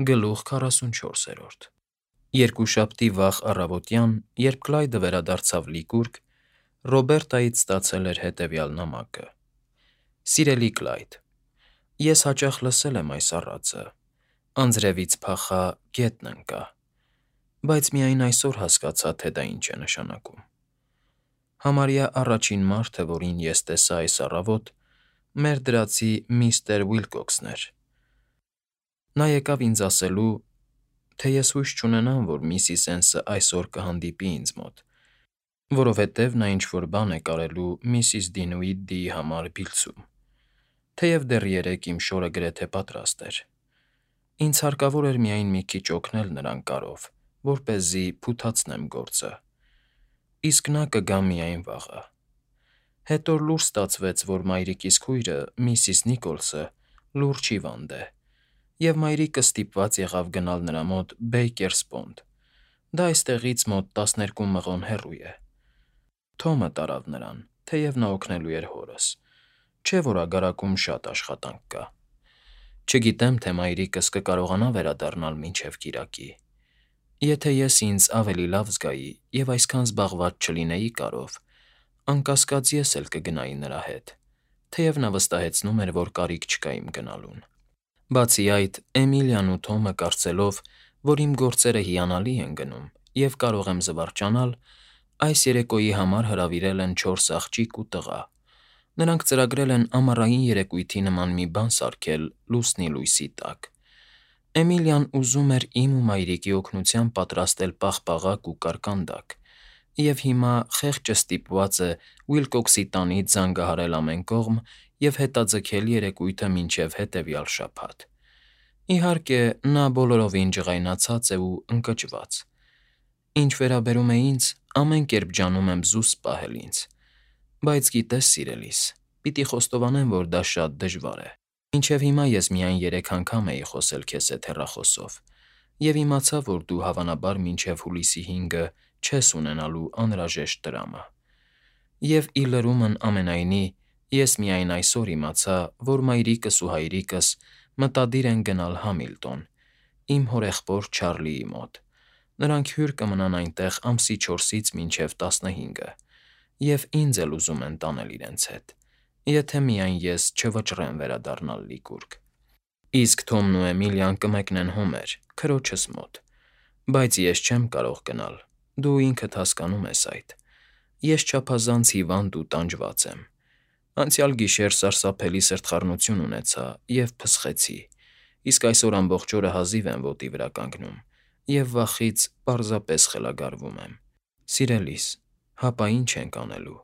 Գլուխ 44 Երկուշաբթի վաղ առավոտյան, երբ Կլայդը վերադարձավ Լիկուրգ, Ռոբերտայից ստացել էր հետևյալ նամակը. Սիրելի Կլայդ, ես հաճախ լսել եմ այս առածը. «Անձրևից փախա, գետն ընկա», բայց միայն այսօր հասկացա, թե դա ինչ է նշանակում։ Համարյա առաջին մարդը, որին ես տեսա այս առավոտ, մեր դրացի միստր Ուիլքոքսն էր։ Նա եկավ ինձ ասելու, թե ես հույս չունենամ, որ միսիս Էնսը այսօր կհանդիպի ինձ մոտ, որովհետև նա ինչ֊որ բան է կարելու միսիս Դինուիդիի համար Բիլլսում, թեև դեռ երեկ իմ շորը գրեթե պատրաստ էր։ Ինձ հարկավոր էր միայն մի քիչ օգնել նրան կարով, որպեսզի փութացնեմ գործը, իսկ նա կգա միայն վաղը։ Հետո լուր ստացվեց, որ մայրիկիս քույրը, միսիս Նիկոլսը, լուրջ հիվանդ է, և մայրիկը ստիպված եղավ գնալ նրա մոտ Բեյքերսպոնդ, դա այստեղից մոտ 12 մղոն հեռու է։ Թոմը տարավ նրան, թեև նա օգնելու էր հորս, չէ՞ որ ագարակում շատ աշխատանք կա։ Չգիտեմ, թե մայրիկս կկարողանա վերադառնալ մինչև կիրակի։ Եթե ես ինձ ավելի լավ զգայի և այսքան զբաղված չլինեի կարով, անկասկած ես էլ կգնայի նրա հետ, թեև նա վստահեցնում էր, որ կարիք չկա իմ գնալուն։ Բացի այդ, Էմիլիան ու Թոմը կարծելով, որ իմ գործերը հիանալի են գնում և կարող եմ զվարճանալ, այս երեկոյի համար հրավիրել են 4 աղջիկ ու տղա։ Նրանք ծրագրել են ամառային երեկույթի նման մի բան սարքել լուսնի լույսի տակ։ Էմիլիան ուզում էր իմ ու մայրիկի օգնությամբ պատրաստել պաղպաղակ ու կարկանդակ, և հիմա խեղճը ստիպված է Ուիլքոքսի տանից զանգահարել ամեն կողմ և հետաձգել երեկույթը մինչև հետևյալ շաբաթ։ Իհարկե, նա բոլորովին ջղայնացած է ու ընկճված։ Ինչ վերաբերում է ինձ, ամեն կերպ ջանում եմ զուսպ պահել ինձ, բայց գիտես, սիրելիս, պիտի խոստովանեմ, որ դա շատ դժվար է։ Մինչև հիմա ես միայն 3 անգամ էի խոսել քեզ հետ հեռախոսով և իմացա, որ դու հավանաբար մինչև հուլիսի 5-ը չես ունենալու անհրաժեշտ տրամը։ Եվ ի լրումն ամենայնի, ես միայն այսօր իմացա, որ մայրիկս ու հայրիկս մտադիր են գնալ Համիլտոն, իմ հորեղբոր Չարլիի մոտ։ Նրանք հյուր կմնան այնտեղ ամսի 4-ից մինչև 15-ը, և ինձ էլ ուզում են տանել իրենց հետ, եթե միայն ես չվճռեմ վերադառնալ Լիկուրգ։ Իսկ Թոմն ու Էմիլիան կմեկնեն Հոմեր, քրոջս մոտ, բայց ես չեմ կարող գնալ, դու ինքդ հասկանում ես այդ։ Ես չափազանց հիվանդ ու տանջված եմ։ Անցյալ գիշեր սարսափելի սրտխառնություն ունեցա և փսխեցի, իսկ այսօր ամբողջ օրը հազիվ եմ ոտի վրա կանգնում և վախից պարզապես խելագարվում եմ։ Սիրելիս, հապա ինչ ենք անելու։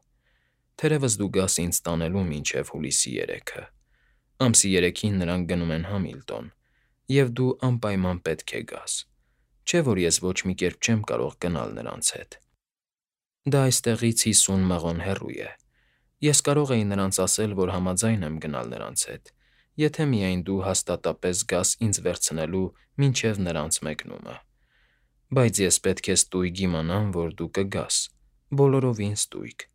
Թերևս դու գաս ինձ տանելու մինչև հուլիսի 3-ը։ Ամսի 3-ին նրանք գնում են Համիլտոն, և դու անպայման պետք է գաս, չէ՞ որ ես ոչ մի կերպ չեմ կարող գնալ նրանց հետ։ Դա այստեղից 50 մղոն հեռու է։ Ես կարող էի նրանց ասել, որ համաձայն եմ գնալ նրանց հետ, եթե միայն դու հաստատապես գաս ինձ վերցնելու մինչև նրանց մեկնումը։ Բայց ես պետք է ստույգ իմանամ, որ դու կգաս, բոլորովին ստույգ։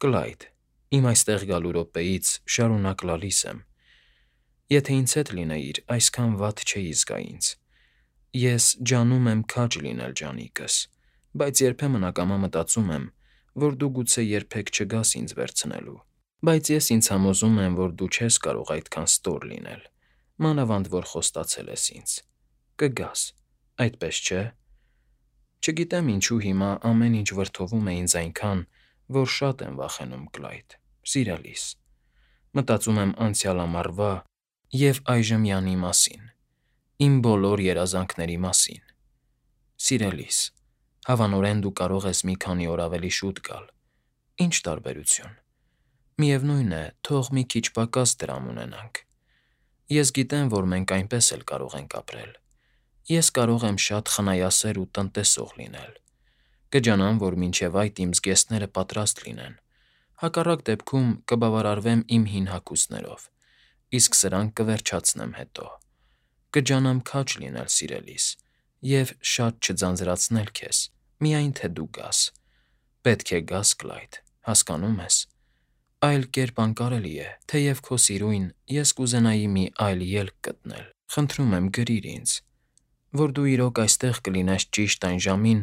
Կլայդ, իմ այստեղ գալու րոպեից շարունակ լալիս եմ։ Եթե ինձ հետ լինեիր, այսքան վատ չէի զգա ինձ։ Ես ջանում եմ քաջ լինել ջանիկս, բայց երբեմն ակամա մտածում եմ, որ դու գուցե երբեք չգաս ինձ վերցնելու։ Բայց ես ինձ համոզում եմ, որ դու չես կարող այդքան ստոր լինել, մանավանդ որ խոստացել ես ինձ։ Կգաս, այդպես չէ՞։ Չգիտեմ ինչու հիմա ամեն ինչ վրդովում է ինձ այնքան, որ շատ եմ վախենում, Կլայդ, սիրելիս։ Մտածում եմ անցյալ ամառվա և այժմյանի մասին, իմ բոլոր երազանքների մասին։ Սիրելիս, հավանորեն դու կարող ես մի քանի օր ավելի շուտ գալ։ Ինչ տարբերություն։ Միևնույն է, թող մի քիչ պակաս դրամ ունենանք։ Ես գիտեմ, որ մենք այնպես էլ կարող ենք ապրել։ Ես կարող եմ շատ խնայասեր ու տնտեսող լինել։ Կջանամ, որ մինչև այդ իմ զգեստները պատրաստ լինեն։ Հակառակ դեպքում կբավարարվեմ իմ հին հագուստներով, իսկ սրանք կվերջացնեմ հետո։ Կջանամ քաջ լինել, սիրելիս, և շատ չձանձրացնել քեզ, միայն թե դու գաս։ Պետք է գաս, Կլայդ, հասկանո՞ւմ ես։ Այլ կերպ անկարելի է, թեև քո սիրուն, ես կուզենայի մի այլ ելք գտնել։ Խնդրում եմ, գրիր ինձ։ որ դու իրոք այստեղ կլինես ճիշտ այն ժամին,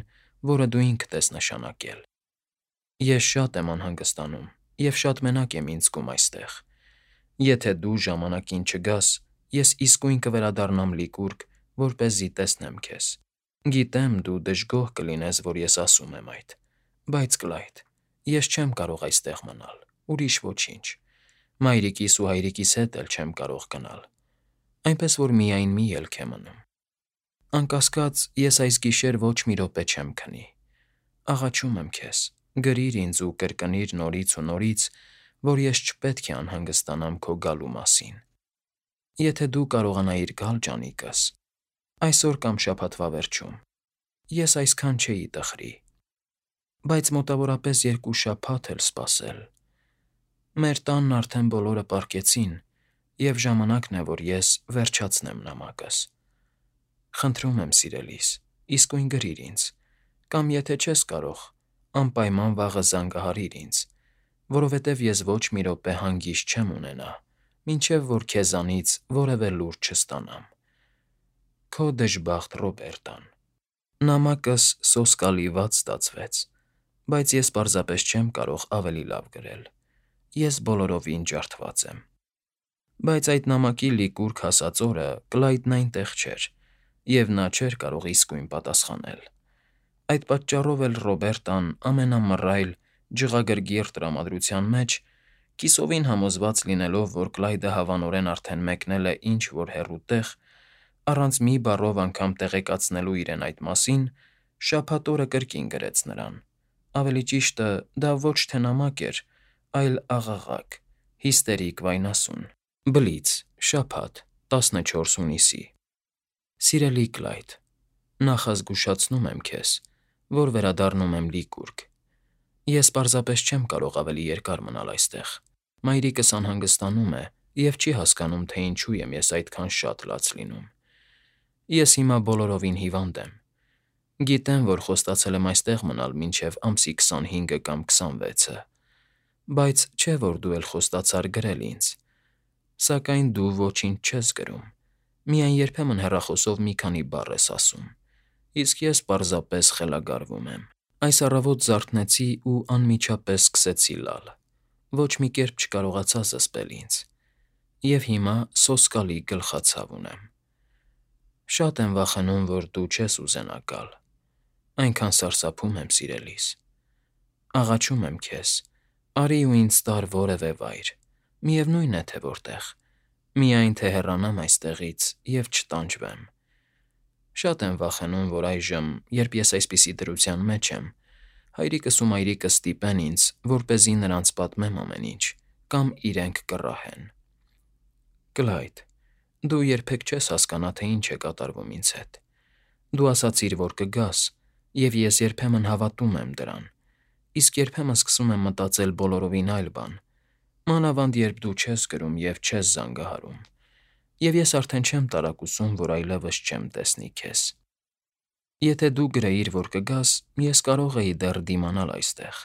որը դու ինքդ ես նշանակել։ Ես շատ եմ անհանգստանում և շատ մենակ եմ ինձ զգում այստեղ։ Եթե դու ժամանակին չգաս, ես իսկույն կվերադառնամ Լիկուրգ, որպեսզի տեսնեմ քեզ։ Գիտեմ, դու դժգոհ կլինես, որ ես ասում եմ այդ, բայց Կլայդ, ես չեմ կարող այստեղ մնալ, ուրիշ ոչինչ։ Մայրիկիս ու հայրիկիս հետ էլ չեմ կարող գնալ, այնպես որ միայն մի ելք է մնում։ Անկասկած, ես այս գիշեր ոչ մի րոպե չեմ քնի։ Աղաչում եմ քեզ, գրիր ինձ ու կրկնիր նորից ու նորից, որ ես չպետք է անհանգստանամ քո գալու մասին։ Եթե դու կարողանայիր գալ ջանիկս, այսօր կամ շաբաթվա վերջում, ես այսքան չէի տխրի, բայց մոտավորապես 2 շաբաթ էլ սպասել։ Մեր տանն արդեն բոլորը պառկեցին, և ժամանակն է, որ ես վերջացնեմ նամակս։ Խնդրում եմ, սիրելիս, իսկույն գրիր ինձ, կամ եթե չես կարող, անպայման վաղը զանգահարիր ինձ, որովհետև ես ոչ մի րոպե հանգիստ չեմ ունենա, մինչև որ քեզանից որևէ լուր չստանամ։ Քո դժբախտ Ռոբերտան։ Նամակս սոսկալի վատ ստացվեց, բայց ես պարզապես չեմ կարող ավելի լավ գրել։ Ես բոլորովին ջարդված եմ։ Բայց այդ նամակի Լիկուրգ հասած օրը Կլայդն այնտեղ չէր, և նա չէր կարող իսկույն պատասխանել։ Այդ պատճառով էլ Ռոբերտան ամենամռայլ, ջղագրգիռ տրամադրության մեջ, կիսովին համոզված լինելով, որ Կլայդը հավանորեն արդեն մեկնել է ինչ֊որ հեռու տեղ, առանց մի բառով անգամ տեղեկացնելու իրեն այդ մասին, շաբաթ օրը կրկին գրեց նրան։ Ավելի ճիշտը, դա ոչ թե նամակ էր, այլ աղաղակ, հիստերիկ վայնասուն։ Բլից, շաբաթ, 14 հունիսի։ Սիրելի Կլայդ, նախազգուշացնում եմ քեզ, որ վերադառնում եմ Լիկուրգ։ Ես պարզապես չեմ կարող ավելի երկար մնալ այստեղ։ Մայրիկս անհանգստանում է և չի հասկանում, թե ինչու եմ ես այդքան շատ լաց լինում։ Ես հիմա բոլորովին հիվանդ եմ։ Գիտեմ, որ խոստացել եմ այստեղ մնալ մինչև ամսի 25-ը կամ 26-ը, բայց չէ՞ որ դու էլ խոստացար գրել ինձ։ Սակայն դու ոչինչ չես գրում, միայն երբեմն հեռախոսով մի քանի բառ ես ասում, իսկ ես պարզապես խելագարվում եմ։ Այս առավոտ զարթնեցի ու անմիջապես սկսեցի լալ։ Ոչ մի կերպ չկարողացա զսպել ինձ։ Եվ հիմա սոսկալի գլխացավ ունեմ։ Շատ եմ վախենում, որ դու չես ուզենա գալ։ Այնքան սարսափում եմ, սիրելիս։ Աղաչում եմ քեզ, արի ու ինձ տար որևէ վայր, միևնույն է թե որտեղ, միայն թե հեռանամ այստեղից և չտանջվեմ։ Շատ եմ վախենում, որ այժմ, երբ ես այսպիսի դրության մեջ եմ, հայրիկս ու մայրիկս ստիպեն ինձ, որպեսզի նրանց պատմեմ ամեն ինչ, կամ իրենք կռահեն։ Կլայդ, դու երբեք չես հասկանա, թե ինչ է կատարվում ինձ հետ։ Դու ասացիր, որ կգաս, և ես երբեմն հավատում եմ դրան, իսկ երբեմն սկսում եմ մտածել բոլորովին այլ բան, մանավանդ երբ դու չես գրում և չես զանգահարում, և ես արդեն չեմ տարակուսում, որ այլևս չեմ տեսնի քեզ։ Եթե դու գրեիր, որ կգաս, ես կարող էի դեռ դիմանալ այստեղ։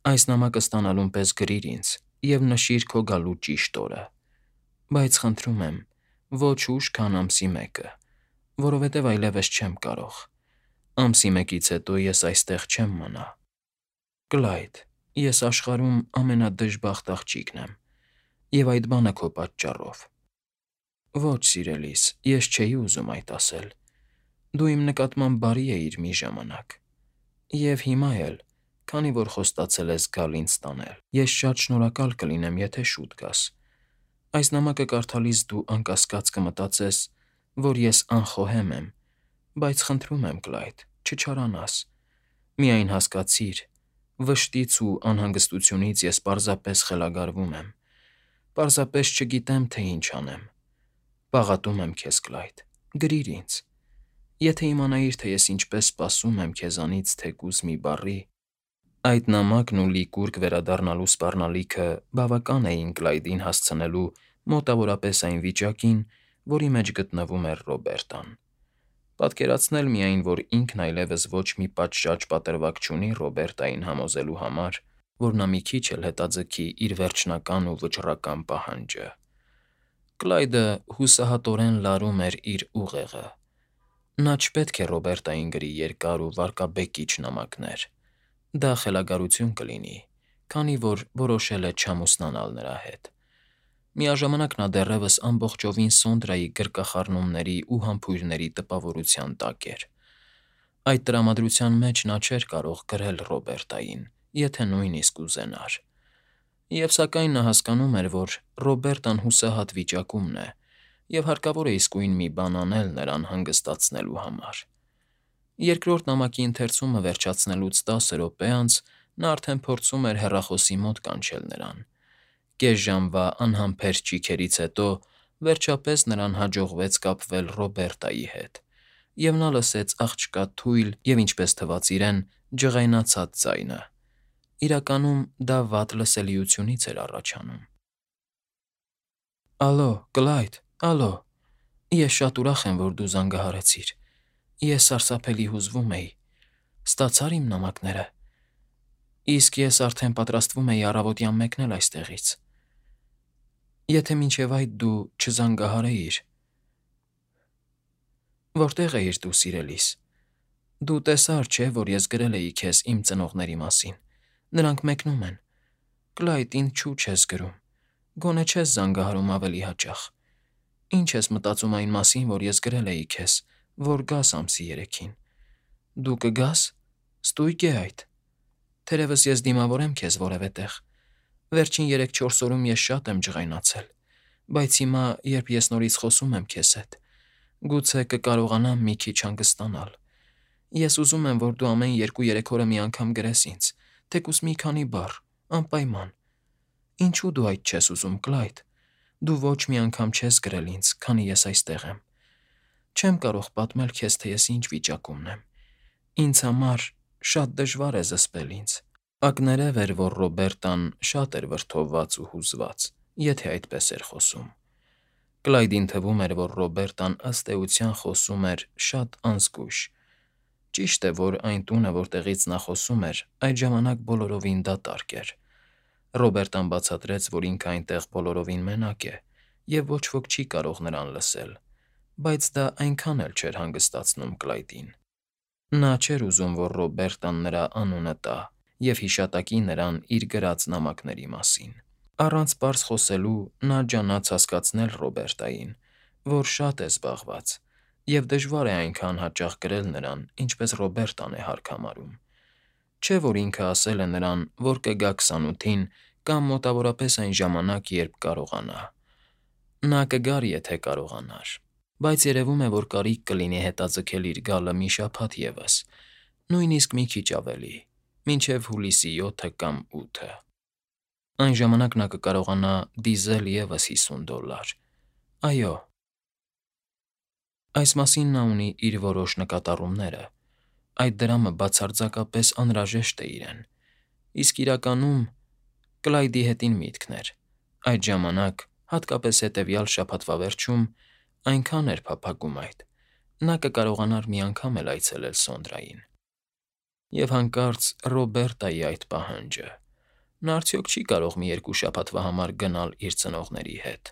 Այս նամակը ստանալուն պես գրիր ինձ և նշիր քո գալու ճիշտ օրը։ Բայց խնդրում եմ, ոչ ուշ, քան ամսի 1-ը, որովհետև այլևս չեմ կարող։ Ամսի 1-ից հետո ես այստեղ չեմ մնա։ Կլայդ, ես աշխարհում ամենադժբախտ աղջիկն եմ, և այդ բանը քո պատճառով։ Ոչ, սիրելիս, ես չէի ուզում այդ ասել։ Դու իմ նկատմամբ բարի էիր մի ժամանակ։ Եվ հիմա էլ, քանի որ խոստացել ես գալ ինձ տանել, ես շատ շնորհակալ կլինեմ, եթե շուտ գաս։ Այս նամակը կարդալիս դու անկասկած կմտածես, որ ես անխոհեմ եմ, բայց խնդրում եմ, Կլայդ, չչարանաս։ Միայն հասկացիր, վշտից ու անհանգստությունից ես պարզապես խելագարվում եմ, պարզապես չգիտեմ, թե ինչ անեմ։ Պաղատում եմ քեզ, Կլայդ, գրիր ինձ։ Եթե իմանայիր, թե ես ինչպես սպասում եմ քեզանից թեկուզ մի բառի։ Այդ նամակն ու Լիկուրգ վերադառնալու սպառնալիքը բավական էին Կլայդին հասցնելու մոտավորապես այն վիճակին, որի մեջ գտնվում էր Ռոբերտան։ Պատկերացնել միայն, որ ինքն այլևս ոչ մի պատշաճ պատրվակ չունի Ռոբերտային համոզելու համար, որ նա մի քիչ էլ հետաձգի իր վերջնական ու վճռական պահանջը։ Կլայդը հուսահատորեն լարում էր իր ուղեղը։ Նա չպետք է Ռոբերտային գրի երկար ու վարկաբեկիչ նամակներ։ Դա խելագարություն կլինի, քանի որ որոշել է չամուսնանալ նրա հետ։ Միաժամանակ նա դեռևս ամբողջովին Սոնդրայի գրկախառնումների ու համբույրների տպավորության տակ էր։ Այդ տրամադրության մեջ նա չէր կարող գրել Ռոբերտային, եթե նույնիսկ ուզենար։ Եվ սակայն նա հասկանում էր, որ Ռոբերտան հուսահատ վիճակումն է, և հարկավոր է իսկույն մի բան անել նրան հանգստացնելու համար։ Երկրորդ նամակի ընթերցումը վերջացնելուց 10 րոպե անց նա արդեն փորձում էր հեռախոսի մոտ կանչել նրան։ Կես ժամվա անհամբեր ճիգերից հետո վերջապես նրան հաջողվեց կապվել Ռոբերտայի հետ, և նա լսեց աղջկա թույլ և, ինչպես թվաց իրեն, ջղայնացած ձայնը։ Իրականում դա վատ լսելիությունից էր առաջանում։ «Ալո, Կլայդ, ալո, ես շատ ուրախ եմ, որ դու զանգահարեցիր։ Ես սարսափելի հուզվում էի։ Ստացա՞ր իմ նամակները։ Իսկ ես արդեն պատրաստվում էի առավոտյան մեկնել այստեղից։ Եթե մինչև այդ դու չզանգահարեիր… Որտե՞ղ էիր դու, սիրելիս։ Դու տեսար, չէ՞, որ ես գրել էի քեզ իմ ծնողների մասին։ Նրանք մեկնում են։ Կլայդ, ինչու չես գրում։ Գոնե չես զանգահարում ավելի հաճախ։ Ինչ ես մտածում այն մասին, որ ես գրել էի քեզ, որ գաս ամսի 3-ին։ Դու կգա՞ս։ Ստույգ է այդ։ Թերևս ես դիմավորեմ քեզ որևէ տեղ։ Վերջին 3-4 օրում ես շատ եմ ջղայնացել, բայց հիմա, երբ ես նորից խոսում եմ քեզ հետ, գուցե կկարողանամ մի քիչ հանգստանալ։ Ես ուզում եմ, որ դու ամեն 2-3 օրը մի անգամ գրես ինձ, թեկուզ մի քանի բառ, անպայման։ Ինչու դու այդ չես ուզում, Կլայդ։ Դու ոչ մի անգամ չես գրել ինձ, քանի ես այստեղ եմ։ Չեմ կարող պատմել քեզ, թե ես ինչ վիճակումն եմ։ Ինձ համար շատ դժվար է զսպել ինձ։ Ակներև էր, որ Ռոբերտան շատ էր վրդովված ու հուզված, եթե այդպես էր խոսում։ Կլայդին թվում էր, որ Ռոբերտան ըստ էության խոսում էր շատ անզգույշ։ Ճիշտ է, որ այն տունը, որտեղից նա խոսում էր, այդ ժամանակ բոլորովին դատարկ էր։ Ռոբերտան բացատրեց, որ ինքը այնտեղ բոլորովին մենակ է, և ոչ ոք չի կարող նրան լսել, բայց դա այնքան էլ չէր հանգստացնում Կլայդին։ Նա չէր ուզում, որ Ռոբերտան նրա անունը տա և հիշատակի նրան իր գրած նամակների մասին։ Առանց պարզ խոսելու նա ջանաց հասկացնել Ռոբերտային, որ շատ է զբաղված, և դժվար է այնքան հաճախ գրել նրան, ինչպես Ռոբերտան է հարկ համարում։ Չէ՞ որ ինքը ասել է նրան, որ կգա 28-ին կամ մոտավորապես այն ժամանակ, երբ կարողանա։ Նա կգար, եթե կարողանար, բայց երևում է, որ կարիք կլինի հետաձգել իր գալը մի շաբաթ ևս, նույնիսկ մի քիչ ավելի, մինչև հուլիսի 7-ը կամ 8-ը։ Այն ժամանակ նա կկարողանա դիզել ևս $50։ Այո։ Այս մասին նա ունի իր որոշ նկատառումները։ Այդ դրամը բացարձակապես անհրաժեշտ է իրեն։ Իսկ իրականում Կլայդի հետին միտքն էր։ Այդ ժամանակ, հատկապես հետևյալ շաբաթվա վերջում, այնքան էր փափագում այդ, նա կկարողանար մի անգամ էլ այցելել Սոնդրային։ Եվ հանկարծ Ռոբերտայի այդ պահանջը… Նա արդյոք չի կարող մի 2 շաբաթվա համար գնալ իր ծնողների հետ։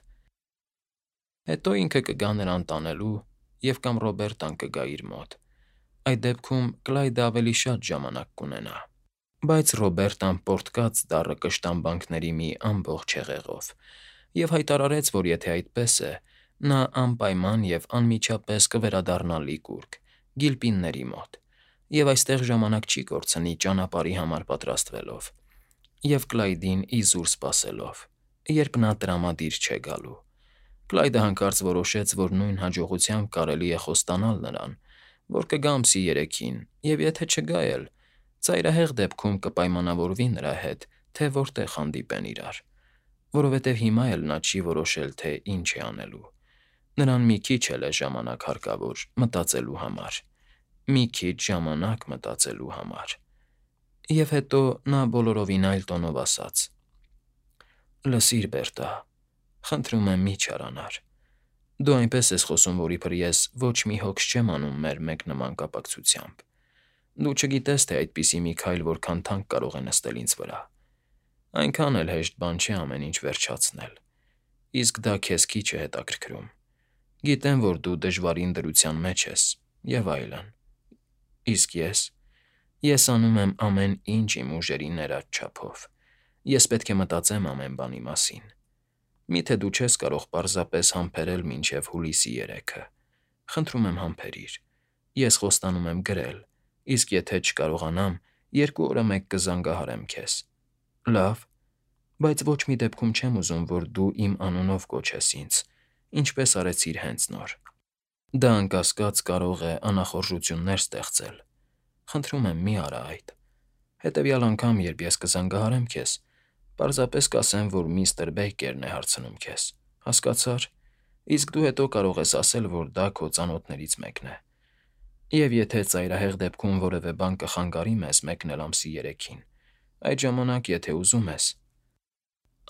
Հետո ինքը կգա նրան տանելու և կամ Ռոբերտան կգա իր մոտ։ Այդ դեպքում Կլայդը ավելի շատ ժամանակ կունենա։ Բայց Ռոբերտան պոռթկաց դառը կշտամբանքների մի ամբողջ հեղեղով և հայտարարեց, որ եթե այդպես է, նա անպայման և անմիջապես կվերադառնա Լիկուրգ, Գիլպինների մոտ, և այստեղ ժամանակ չի կորցնի ճանապարհի համար պատրաստվելով և Կլայդին իզուր սպասելով, երբ նա տրամադիր չէ գալու։ Կլայդը հանկարծ որոշեց, որ նույն հաջողությամբ կարելի է խոստանալ նրան, որ կգա ամսի 3-ին, և եթե չգա էլ, ծայրահեղ դեպքում կպայմանավորվի նրա հետ, թե որտեղ հանդիպեն իրար, որովհետև հիմա էլ նա չի որոշել, թե ինչ է անելու։ Նրան մի քիչ էլ է ժամանակ հարկավոր մտածելու համար։ Մի քիչ ժամանակ մտածելու համար։ Եվ հետո նա բոլորովին այլ տոնով ասաց. «Լսիր, Բերտա, խնդրում եմ, մի չարանար։ Դու այնպես ես խոսում, որ իբր ես ոչ մի հոգս չեմ անում մեր մեկնման կապակցությամբ։ Դու չգիտես, թե այդպիսի մի քայլ որքան թանկ կարող է նստել ինձ վրա։ Այնքան էլ հեշտ բան չէ ամեն ինչ վերջացնել։ Իսկ դա քեզ քիչ է հետաքրքրում։ Գիտեմ, որ դու դժվարին դրության մեջ ես, Եվ այլն։ Իսկ ես անում եմ ամեն ինչ իմ ուժերի ներած չափով։ Ես պետք է մտածեմ ամեն բանի մասին։ Միթե դու չես կարող պարզապես համբերել մինչև հուլիսի 3-ը։ Խնդրում եմ համբերիր։ Ես խոստանում եմ գրել, իսկ եթե չկարողանամ, 2 օրը մեկ կզանգահարեմ քեզ։ Լավ, բայց ոչ մի դեպքում չեմ ուզում, որ դու իմ անունով կոչես ինձ, ինչպես արեցիր հենց նոր։ Դա անկասկած կարող է անախորժություններ ստեղծել։ Խնդրում եմ, մի արա այդ։ Հետևյալ անգամ, երբ ես կզանգահարեմ քեզ, պարզապես կասեմ, որ միստր Բեյքերն է հարցնում քեզ։ Հասկացա՞ր։ Իսկ դու հետո կարող ես ասել, որ դա քո ծանոթներից մեկն է։ Եվ եթե ծայրահեղ դեպքում որևէ բան կխանգարի մեզ մեկնել ամսի 3-ին, այդ ժամանակ, եթե ուզում ես,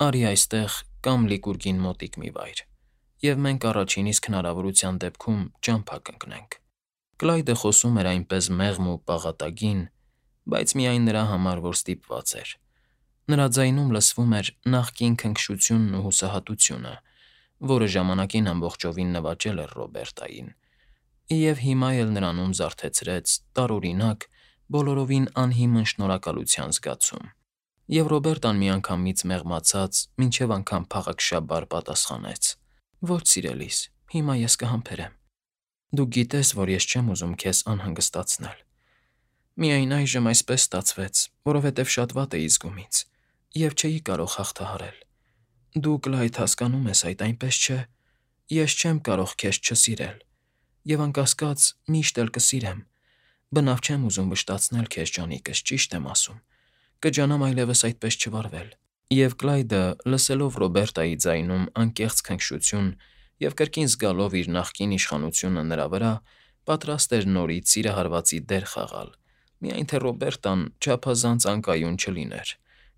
արի այստեղ կամ Լիկուրգին մոտիկ մի վայր, և մենք առաջին իսկ հնարավորության դեպքում ճամփա կընկնենք։ Կլայդը խոսում էր այնպես մեղմ ու պաղատագին, բայց միայն նրա համար, որ ստիպված էր։ Նրա ձայնում լսվում էր նախկին քնքշությունն ու հուսահատությունը, որը ժամանակին ամբողջովին նվաճել էր Ռոբերտային, և հիմա էլ նրանում զարթեցրեց տարօրինակ, բոլորովին անհիմն շնորհակալության զգացում։ Եվ Ռոբերտան միանգամից մեղմացած, մինչև անգամ փաղաքշաբար պատասխանեց. Ոչ, սիրելիս, հիմա ես կհամբերեմ։ Դու գիտես, որ ես չեմ ուզում քեզ անհանգստացնել։ Միայն այժմ այսպես ստացվեց, որովհետև շատ վատ էի զգում ինձ, և չէի կարող հաղթահարել։ Դու, Կլայդ, հասկանում ես այդ, այնպես չէ։ Ես չեմ կարող քեզ չսիրել, և անկասկած միշտ էլ կսիրեմ։ Բնավ չեմ ուզում վշտացնել քեզ, ջանիկս, ճիշտ եմ ասում։ Կջանամ այլևս այդպես չվարվել։ Եվ Կլայդը, լսելով Ռոբերտայի ձայնում անկեղծ քնքշություն և կրկին զգալով իր նախկին իշխանությունը նրա վրա, պատրաստ էր նորից սիրահարվածի դեր խաղալ, միայն թե Ռոբերտան չափազանց անկայուն չլիներ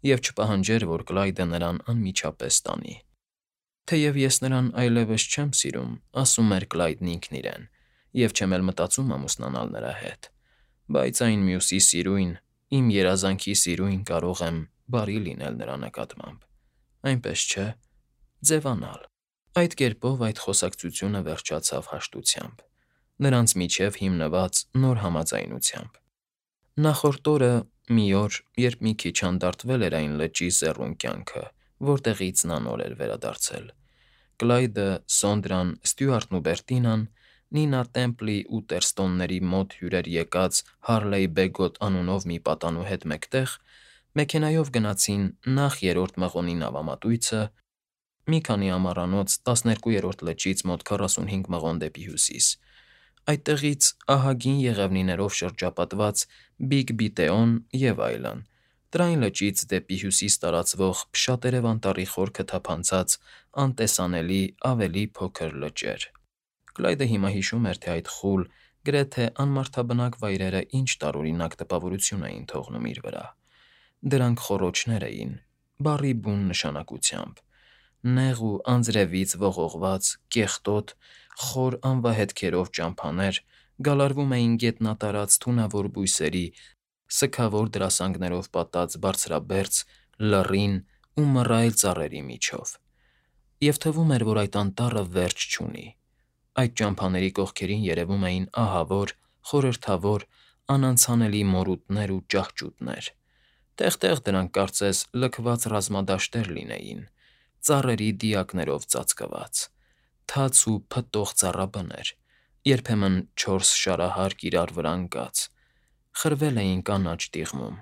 և չպահանջեր, որ Կլայդը նրան անմիջապես տանի։ Թեև ես նրան այլևս չեմ սիրում, ասում էր Կլայդն ինքն իրեն, և չեմ էլ մտածում ամուսնանալ նրա հետ, բայց այն մյուսի սիրույն, իմ երազանքի սիրույն կարող եմ բարի լինել նրա նկատմամբ, այնպես չէ, ձևանալ։ Այդ կերպով այդ խոսակցությունը վերջացավ հաշտությամբ, նրանց միջև հիմնված նոր համաձայնությամբ։ Նախորդ օրը, մի օր, երբ մի քիչ հանդարտվել էր այն լճի սեռուն կյանքը, որտեղից նա նոր էր վերադարձել, Կլայդը, Սոնդրան, Ստյուարտն ու Բերտինան, Նինա Տեմպլի ու Ուտերստոնների մոտ հյուրեր եկած Հարլեյ Բեգոտ անունով մի պատանու հետ մեկտեղ, մեքենայով գնացին նախ 3-րդ մղոնի նավամատույցը, մի քանի ամառանոց 12-րդ լճից մոտ 45 մղոն դեպի հյուսիս, այդտեղից ահագին եղևնիներով շրջապատված Բիգ Բիտեոն և այլն, Տրայն լճից դեպի հյուսիս տարածվող Փշատերև անտառի խորքը թափանցած անտեսանելի ավելի փոքր լճեր։ Կլայդը հիմա հիշում էր, թե այդ խուլ, գրեթե անմարդաբնակ վայրերը ինչ տարօրինակ տպավորություն էին թողնում իր վրա։ Դրանք խոռոչներ էին, բառի բուն նշանակությամբ, նեղ ու անձրևից ողողված, կեղտոտ, խոր անվահետքերով ճամփաներ գալարվում էին գետնատարած թունավոր բույսերի, սգավոր դրասանգներով պատած բարձրաբերձ, լռին ու մռայլ ծառերի միջով, և թվում էր, որ այդ անտառը վերջ չունի։ Այդ ճամփաների կողքերին երևում էին ահավոր, խորհրդավոր, անանցանելի մորուտներ ու ճահճուտներ։ Տեղ֊տեղ դրանք կարծես լքված ռազմադաշտեր լինեին, ծառերի դիակներով ծածկված, թաց ու փտտող ծառաբներ, երբեմն 4 շարահարկ իրար վրա ընկած, խրվել էին կանաչ տիղմում,